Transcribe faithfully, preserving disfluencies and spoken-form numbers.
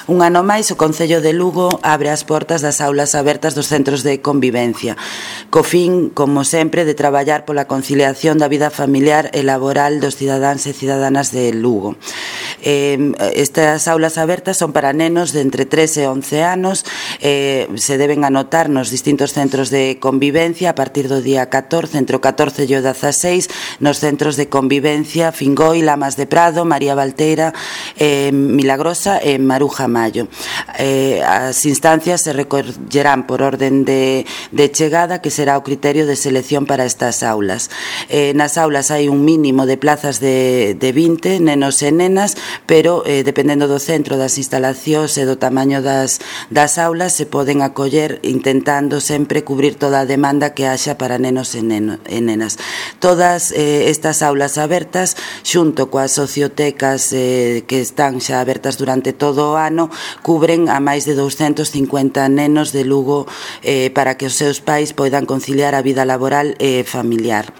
Un ano máis, o Concello de Lugo abre as portas das aulas abertas dos centros de convivencia, co fin, como sempre, de traballar pola conciliación da vida familiar e laboral dos cidadáns e cidadánas de Lugo. Eh, estas aulas abertas son para nenos de entre tres e once anos, eh, se deben anotar nos distintos centros de convivencia a partir do día catorce, entre o catorce e o dezaseis, nos centros de convivencia Fingoi, Lamas de Prado, María Valteira, eh, Milagrosa e Maruja Mayo. Eh, as instancias se recollerán por orden de, de chegada, que será o criterio de selección para estas aulas. Eh, nas aulas hai un mínimo de plazas de, de vinte nenos e nenas, pero eh, dependendo do centro, das instalacións e do tamaño das, das aulas, se poden acoller intentando sempre cubrir toda a demanda que haxa para nenos e, neno, e nenas. Todas eh, estas aulas abertas, xunto coas sociotecas eh, que están xa abertas durante todo o ano, cubren a máis de douscentos cincuenta nenos de Lugo eh, para que os seus pais poidan conciliar a vida laboral e familiar.